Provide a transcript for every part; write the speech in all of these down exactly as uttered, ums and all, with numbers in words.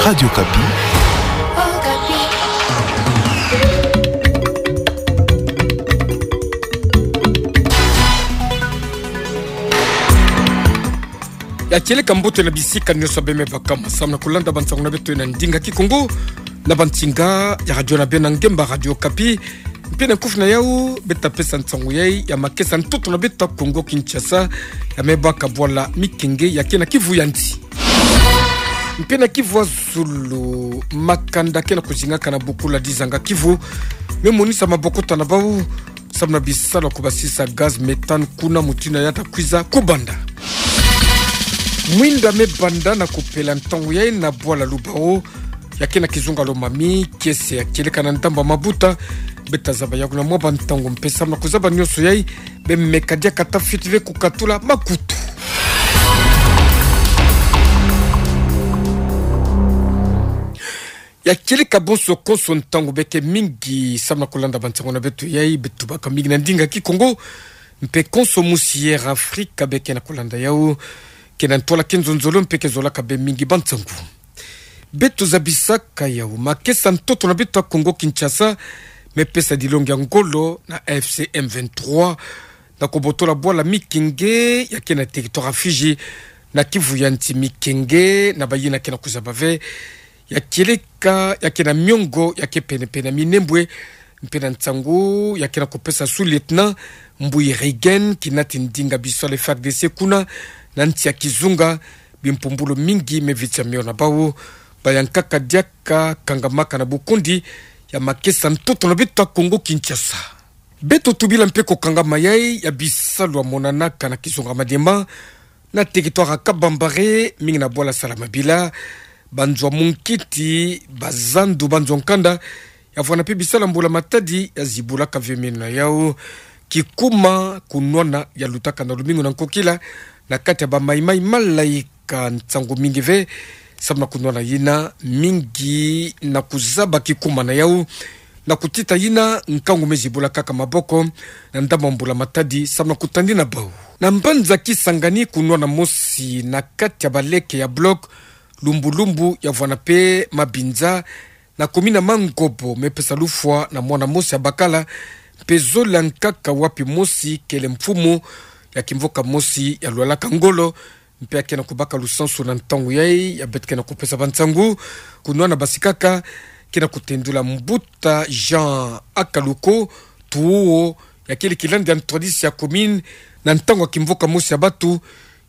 Radio Okapi. Ya kieleka mbote na bisika nyonso beme baka, samu na kulanda bansangu na beto na ndinga Kikongo na bansinga ya radio na beno ngemba, Radio Okapi. Mpe na kufi na yau, beta pesa nsangu yai ya makesa ntoto na beto Kongo Kinshasa, ya me baka bwala Mikenge ya ke na Kivu ya nsi. Mpe na Kivu ya zulu, makanda ke na kuzingaka na bukula dizanga Kivu me monisa mabokota na bau, samu na bisalu ya kubasisa gaz méthane kuna mutindu ya ta kwiza kubanda. Mwinda me banda na kupela ntangu yai na bwala Lubao, ya ke na kizunga Lomami, kiese ya kieleka na ndambu ya mabuta. Beta zaba yau na mwa bantangu mpe samu na kuzaba nyonso yai, beme kadiaka tafiti ve kukatula makutu. Ya kieleka bonso konso ntangu beke mingi samu na kulanda bansangu na beto yai, beto baka mingi na ndinga Kikongo, mpe konso musi Air Afrique beke na kulanda yau, ke na ntwala ke nzonzolo mpe ke zolaka bê mingi bansangu. Beto zabisaka yau, makesa ntoto na beto ya Kongo Kinshasa me pesa dilongi ya ngolo na A F C M vingt-trois, na kubotola bwala Mikenge ya ke na territoire ya Fidji, na Kivu ya nsi. Mikenge na bayina ke na kuzaba ve, ya kieleka ya ke na miongo ya ke pene-pene ya minembwe, mpe na nsangu ya ke na kupesa sous-lieutenant Mbuyi Regen, kinati ndinga bisalu ya F A R D C kuna na nsi ya kizunga, bimpumbulu mingi me vitsa mio na bau, bayankaka diaka kangamaka na bukundi ya makesa ntoto na beto ya Kongo Kinshasa. Beto tubila mpe kukangama yai ya bisalu ya monanaka na kizunga Maniema, na territoire ya Kabambare, mingi na bwala Salamabila, banzo ya munkiti, bazandu, banzo ya nkanda, ya vwanda mpe bisalu ya mbula matadi ya zibulaka ve meno na yau. Kikuma kunwana ya lutaka na lumingu na nkokila na kati ya ba Maï-Maï Malaï ka nsangu mingi ve, samu na kunwana yina mingi na kuzaba kikuma na yau, na kutita yina nkangu me zibulakaka maboko na ndambu ya mbula matadi, samu na kutandi na bau. Na mbanza Kisangani, kunwana mosi na kati ya baleke ya bloc Lumbu-Lumbu ya vwanda mpe Mabinza, na commune ya Mangobo, me pesa lufwa na mwana mosi ya bakala, mpe zola nkaka wapi mosi kele mfumu ya kimvoka mosi ya lwalaka ngolo, mpe ya ke na kubaka lusansu na ntangu yai ya beto ke na kupesa bansangu. Kunwana basi kaka, ke na kutendula mbuta Jean Akaluko Tuo, ya kele kilandi ya ntwadisi ya commune, na ntangu ya kimvoka mosi ya batu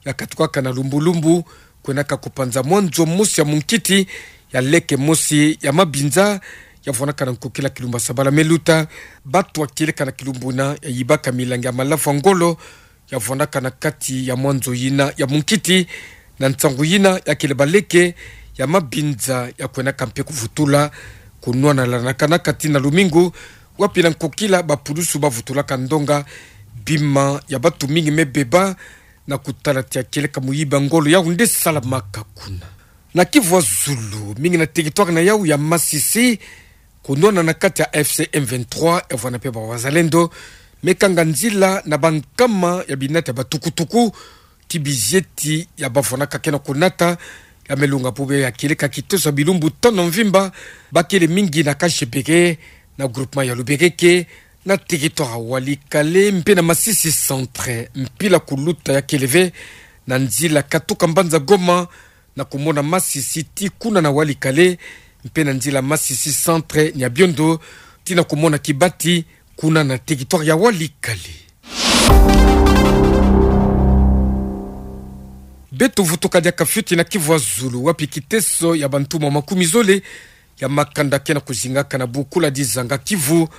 ya katukaka na Lumbu-Lumbu, kwenaka kupanza mwa nzo mosi ya munkiti ya leke mosi ya Mabinza, ya vwandaka na nkokila kilumbu ya sabala me luta. Batu ya kieleka na kilumbu yina ya yibaka milangi ya malafu ya ngolo, ya vwandaka na kati ya mwa nzo yina ya munkiti. Na nsangu yina, ya kele baleke ya Mabinza ya kwenaka mpe kuvutula, kunwana lanaka na kati na lumingu, wapi na nkokila bapulusu bavutulaka ndonga, bima ya batu mingi me beba, na kutala ti ya kieleka muyibi ya ngolo yau nde salamaka kuna. Na Kivu ya zulu, mingi na territoire na yau ya Masisi, kunwana na kati ya A F C M vingt-trois ya vwanda mpe ba Wazalendo, me kanga nzila na bankama ya binati ya batukutuku, ti bizieti ya bavwandaka ke na kunata, ya me longa bubu ya kieleka kitoso ya bilumbu tano mvimba, bakele mingi na Kashebere, na groupement ya Lubereke, na territoire ya Walikale, mpe na Masisi Centre. Mpila kuluta ya kele ve na nzila katuka mbanza Goma, na kumona Masisi ti kuna na Walikale, mpe na nzila Masisi Centre Nyabiondo ti na kumona Kibati, kuna na territoire ya Walikale. Beto vutuka diaka fioti na Kivu ya zulu, wapi kiteso ya bantumwa makumi zole ya makanda ke na kuzingaka na bukula dizanga Kivu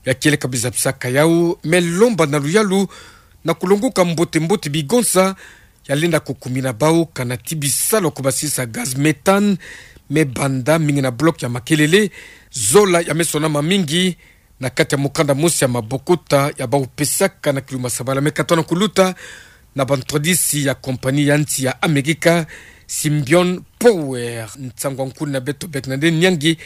ya kieleka biza bisaka yau, me lomba na luyalu na kulonguka mbote-mbote bigonsa ya lenda kukumina bau, kana ti bisalu ya kubasisa gaz méthane me banda mingi na bloc ya Makelele. Zola ya me sonama mingi na kati ya mukanda mosi ya mabokota ya bau pesaka na kilumbu ya sabala me katono kuluta, na bantwadisi ya compagnie ya nsi ya Amerika, Symbion Power. Nsangu ya nkuna beto bek na nde niangi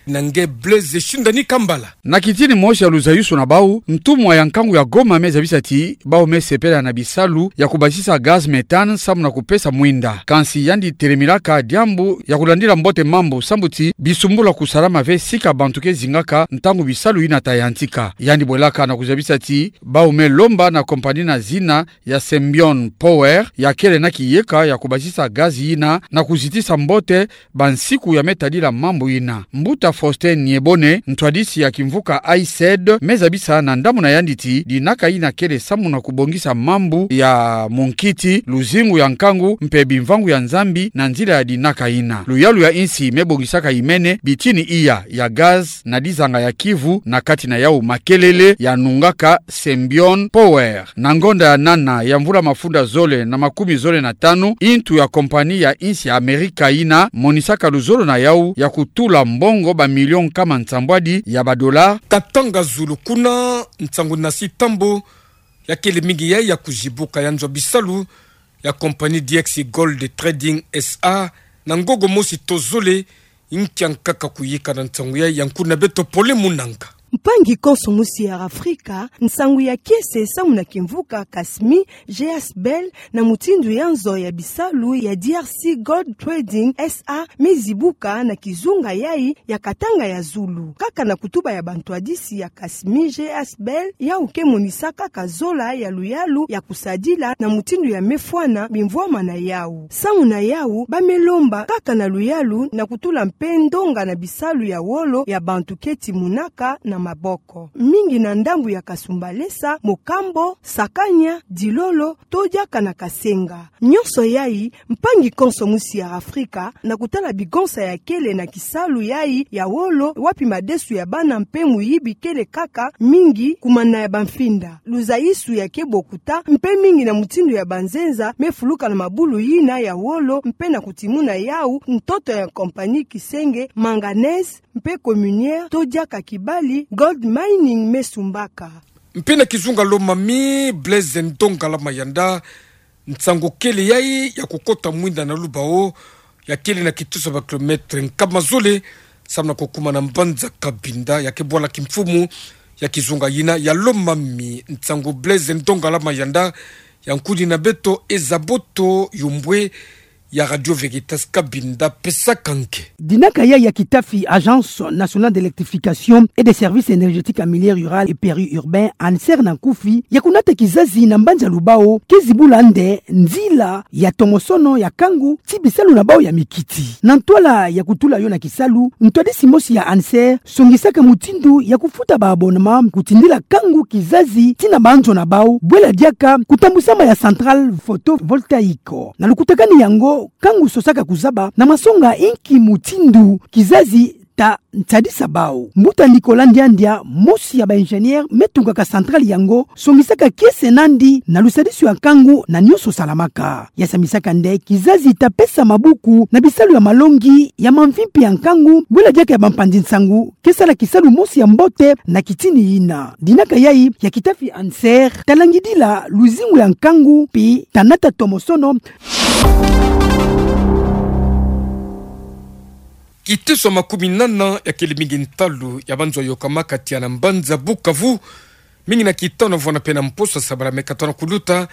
Na nge Blaise Shindani Kambala. Na kitini mosi ya luzayusu na bau, ntumwa ya nkangu ya Goma me zabisa ti bau me sepela na bisalu ya kubasisa gaz méthane samu na kupesa mwinda. Kansi yandi telemilaka diambu ya kulandila mbote mambu sambu ti bisumbulu kusalama ve sika bantu ke zingaka ntangu bisalu yina ta yantika. Yandi bwelaka na kuzabisa ti bau me lomba na compagnie na zina ya Symbion Power ya kele na kiyeka ya kubasisa gaz yina na kuzitisa mbote bansiku ya me tadila mambu yina. Mbuta Faustin Nyebone, ntwadisi ya kimvuka AICED, me zabisa na ndambu na yandi ti dinaka yina kele samu na kubongisa mambu ya munkiti, luzingu ya nkangu mpe bimvangu ya Nzambi na nzila ya dinaka yina. Luyalu ya insi me bongisaka imene bitini iya ya gaz na dizanga ya Kivu na kati na yau makelele ya nungaka Symbion Power. Na ngonda ya nana ya mvula mafunda zole na makumi zole na tanu, intu ya compagnie ya insi ya Amerika yina monisaka luzolo na yau ya kutula mbongo bamilio nkama nsambwadi ya badola. Katanga zulu kuna, nsangu na sitambo ya kele mingi ya, ya kuzibuka ya nzo bisalu ya compagnie D X Gold Trading S A na ngogo mosi to zole. Nkia nkaka kuyika na nsangu ya, ya nkuna beto Pole Munanga. Mpangi konso musi ya Afrika, nsangu ya kiese samu na kimvuka Kasmi G S Bell na mutindu ya nzo ya bisalu ya D R C Gold Trading S A me zibuka na kizunga yai ya Katanga ya zulu. Kaka na kutuba ya bantwadisi ya Kasmi G S Bell, yau ke monisa kaka zola ya luyalu ya kusadila na mutindu ya me fwana bimvwama na yau. Samu na yau, ba me lomba kaka na luyalu na kutula mpe ndonga na bisalu ya wolo ya bantu ke timunaka na maboko. Mingi na ndambu ya Kasumbalesa, Mokambo, Sakania, Dilolo, to diaka na Kasenga. Nyonso yai, mpangi konso musi ya Afrika, na kutala bigonsa ya kele na kisalu yai ya wolo, wapi madesu ya bana mpe muyibi kele kaka mingi kumana ya bamfinda. Luzaisu ya ke bokuta, mpe mingi na mutindu ya banzenza me fuluka na mabulu yina ya wolo, mpe na kutimuna yau ntoto ya compagnie Kisenge Manganese mpe Communière, to diaka kibali Gold Mining me sumbaka. Mpe na kizunga Lomami, Blaise Ndongala Mayanda, nsangu kele yai ya kukota mwinda na lubao, ya kele na kitusa ba kilomètre nkama zole, samu na kukumana mbanza Cabinda, ya ke bwala kimfumu ya kizunga yina ya Lomami. Nsangu Blaise Ndongala Mayanda, ya nkuni na beto Ezaboto Yombwe, ya Radio Veritas Cabinda, pesaka nge. Dinaka yai ya kitafi Agence Nationale d'Électrification et des Services Énergétiques en Milieu Rural et Périurbain, ANSER na nkufi, ya kunata kizazi na mbanza lubao, ke zibula nde nzila ya tomosono ya kangu ti bisalu na bau ya mikiti. Na ntwala ya kutula yo na kisalu, ntwadisi mosi ya ANSER songisaka mutindu ya kufuta ba abonnement kutindila kangu kizazi ti na banzo na bau, bwela diaka kutambusama ya centrale photovoltaïque. Na lukutakani yango, kangu sosaka kuzaba na masonga inki mutindu kizazi ta nsadisa bau. Mbuta Nicolas Ndiandia, mosi ya ba ingénieur me tungaka centrale yango, songisaka kiese nandi na lusadisu ya kangu na nyonso salamaka. Ya samisaka nde kizazi ta pesa mabuku na bisalu ya malongi, ya mamvi mpe ya nkangu, bwela diaka ya bampanzi nsangu ke sala kisalu mosi ya mbote na kitini yina. Dinaka yai ya kitafi ANSER ta langidila luzingu ya nkangu mpe ta nata tomosono. Kiteso makumi nana ya kele mingi ntalu ya banzo yokamaka tiya na mbanza Bukavu, mingi na kitanu vwanda mpe na mposo sabala me katono kuluta,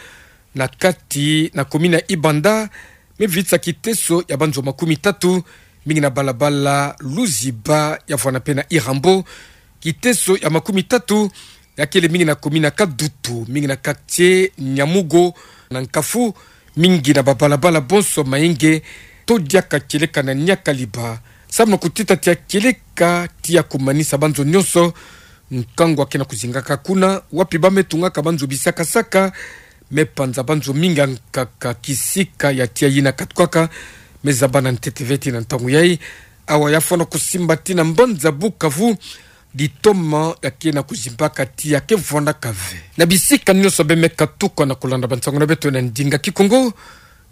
na kati na komini ya Ibanda, me vitisa kiteso ya banzo makumi tatu, mingi na balabala Luziba ya vwanda mpe na Irambo, kiteso ya makumi tatu ya kele mingi na komini ya Kadutu, mingi na quartier Nyamugo, na Nkafu, mingi na babalabala bonso Mayenge, to diaka kieleka na Nyakaliba. Samu na kutita tiya kieleka, tiya kumanisa banzo nyonso, nkangu ake na kuzingaka kuna, wapi ba me tungaka banzo bisakasaka, me panza banzo mingi ankaka kisika ya tiya yina katukaka, me zaba na ntete ve ti na ntangu yai, awa ya fwana kusimba ti na mbanza Bukavu, litoma ya ke na kuzimbaka tiya ke vwandaka ve. Na bisika nyonso be me katuka na kulanda bansangu na beto na ndinga Kikongo,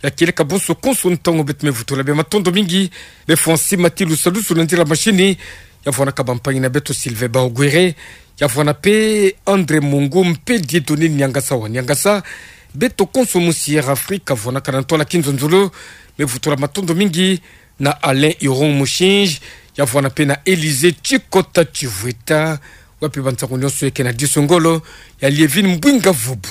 ya kieleka bonso konso ntangu beto me vutula be matondo mingi, be fwa nsima ti lusalusu na nzila machine, ya vwandaka bampangi na beto Sylvain Baogwere, ya vwanda mpe André Mungu mpe Dieudonné Niangasa wa Niangasa, beto konso musi Air Afrique, vwandaka na ntwala kinzonzolo, me vutula matondo mingi, na Alain Iron Mushinji, Ya fana pe na Elysée, tikota tivita, wapi ba nsangu nyoso eke na diso ngolo, ya Lievine Mbwinga Vubu.